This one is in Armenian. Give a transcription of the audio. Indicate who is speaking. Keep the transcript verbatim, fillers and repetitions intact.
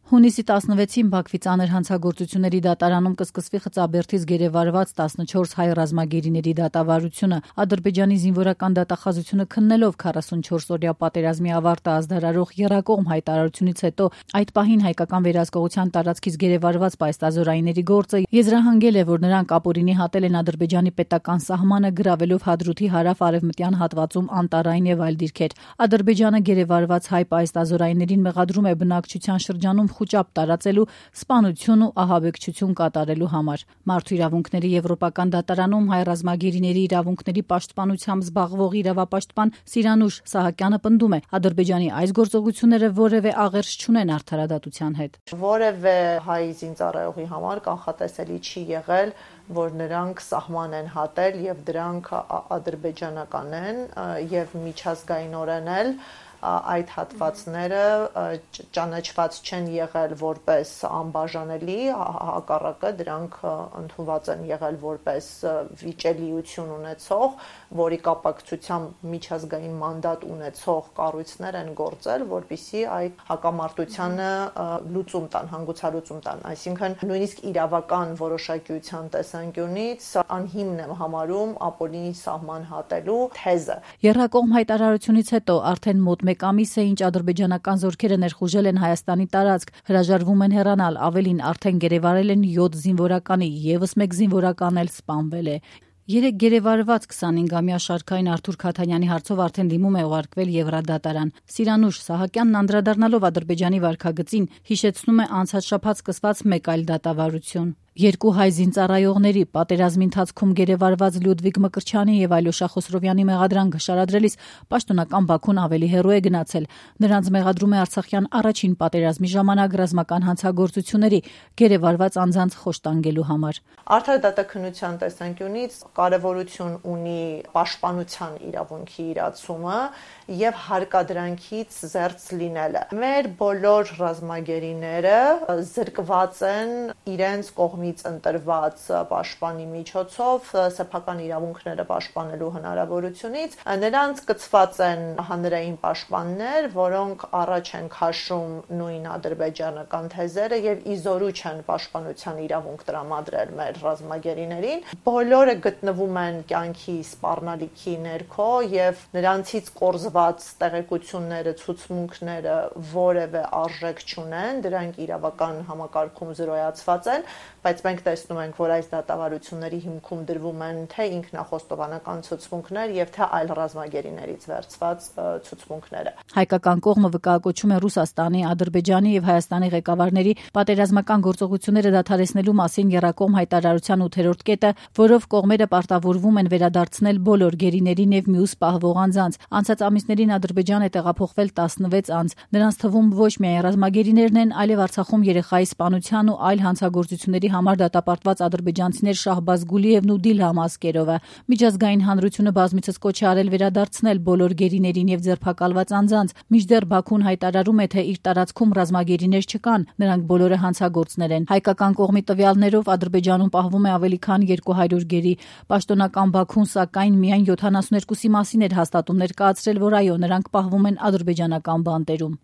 Speaker 1: Հունիսի տասնվեցին Բաքվի ծանր հանցագործությունների դատարանում կսկսվի Խծաբերդից գերեվարված տասնչորս հայ ռազմագերիների դատավարությունը։ Ադրբեջանի զինվորական դատախազությունը քննելով քառասունչորս-օրյա պատերազմի ավարտը ազդարարող եռակողմ հայտարարությունից հետո այդ պահին հայկական վերահսկողության տարածքից գերեվարված պայստազորայինների գործը եզրահանգել է, որ նրանք ապօրինի հատել են Ադրբեջանի պետական սահմանը, գրավելով Հադրութի հարավ-արևմտյան հատվածում անտառային եւ այլ դիրքեր։ Ադրբեջանը գերեվարված հայ պայստազորայիններին մեղադրում է բնակչության շրջանում խուճապ տարածելու, սպանություն ու ահաբեկչություն կատարելու համար։ Մարդու իրավունքների եվրոպական դատարանում հայ ռազմագերիների իրավունքների պաշտպանությամբ զբաղվող իրավապաշտպան Սիրանուշ Սահակյանը պնդում է, Ադրբեջանի այս գործողությունները որևէ աղերս չունեն արդարադատության հետ։
Speaker 2: Որևէ հայ զինծառայողի համար կանխատեսելի չի եղել, որ նրանք սահման են հատել եւ դրանք ադրբեջանական են եւ միջազգայինորեն էլ այդ հատվածները ճանաչված չեն եղել որպես անբաժանելի, հակառակը դրանք ընդունված են եղել որպես վիճելիություն ունեցող, որի կապակցությամբ միջազգային մանդատ ունեցող կառույցներ են գործել, որպեսզի այդ հակամարտությանը լուծում տան, հանգուցալուծում տան, այսինքն նույնիսկ իրավական որոշակիության տեսանկյունից անհիմն եմ համարում ապօրինի սահման հատելու թեզը։
Speaker 1: Եռակողմ հայտարարությունից հետո արդեն մոտ մեկ ամիս է, ինչ ադրբեջանական զորքերը ներխուժել են Հայաստանի տարածք, հրաժարվում են հեռանալ, ավելին արդեն գերեվարել են յոթ զինվորականի, եւս մեկ զինվորական էլ սպանվել է։ Երեք գերեվարված քսանհինգամյա Շարքային Արթուր Քաթանյանի հարցով արդեն դիմում է ուղարկվել Եվրադատարան։ Սիրանուշ Սահակյանն անդրադառնալով Ադրբեջանի վարքագծին հիշեցնում է անցած շաբաթ սկսված մեկ այլ դատավարություն։ Երկու հայ զինծառայողների պատերազմի ընթացքում գերեվարված Լյուդվիգ Մկրտչյանի եւ Այլոշա Խոսրովյանի մեղադրանքը շարադրելիս պաշտոնական Բաքուն ավելի հեռու է գնացել։ Նրանց մեղադրում է Արցախյան առաջին պատերազմի ժամանակ ռազմական հանցագործությունների գերեվարված անձանց խոշտանգելու համար։
Speaker 2: Արդարադատականության տեսանկյունից կարևորություն ունի պաշտպանության իրավունքի իրացումը եւ հարկադրանքից զերծ լինելը։ Մեր բոլոր ռազմագերիները զրկված են իրենց կողմից ընտրված պաշտպանի միջոցով սեփական իրավունքները պաշտպանելու հնարավորությունից։ Նրանց կցված են հանրային պաշտպաններ, որոնք առաջ են քաշում նույն ադրբեջանական թեզերը եւ իզորու չեն պաշտպանության իրավունք տրամադրել մեր ռազմագերիներին։ Բոլորը գտնվում են կյանքի սպառնալիքի ներքո եւ նրանցից կորզված տեղեկությունները, ցուցմունքները որևէ արժեք չունեն, դրանք իրավական համակարգում զրոյացված են, բայց մենք տեսնում ենք, որ այս դատավարությունների հիմքում դրվում են թե ինքնախոստովանական ցուցմունքներ եւ թե այլ ռազմագերիներից վերցված ցուցմունքները։
Speaker 1: Հայկական կողմը վկայակոչում է Ռուսաստանի, Ադրբեջանի եւ Հայաստանի ղեկավարների պատերազմական գործողությունները դադարեցնելու մասին եռակողմ հայտարարության ութերորդ կետը, որով կողմերը պարտավորվում են վերադարձնել բոլոր գերիներին եւ մյուս պահվող անձանց։ Անցած ամիսներին Ադրբեջան է տեղափոխվել տասնվեց անձ։ Նրանց թվում ոչ միայն ռազմագերիներն են, այլև Արցախում երեխայի սպանության ու այլ հանցագործությունների համար դատապարտված ադրբեջանցիներ Շահբազ Գուլիևն ու Դիլհամ Ասկերովը։ Միջազգային հանրությունը բազմիցս կոչ է արել վերադարձնել բոլոր գերիներին եւ ձերբակալված անձանց, մինչդեռ Բաքուն հայտարարում է, թե իր տարածքում ռազմագերիներ չկան, նրանք բոլորը հանցագործներ են։ Հայկական կողմի տվյալներով Ադրբեջանում պահվում է ավելի քան երկու հարյուր գերի։ Պաշտոնական Բաքուն սակայն միայն յոթանասունհինգի մասին էր հաստատում ներկայացրել, որ այո, նրանք պահվում են ադրբեջանական բանտերում։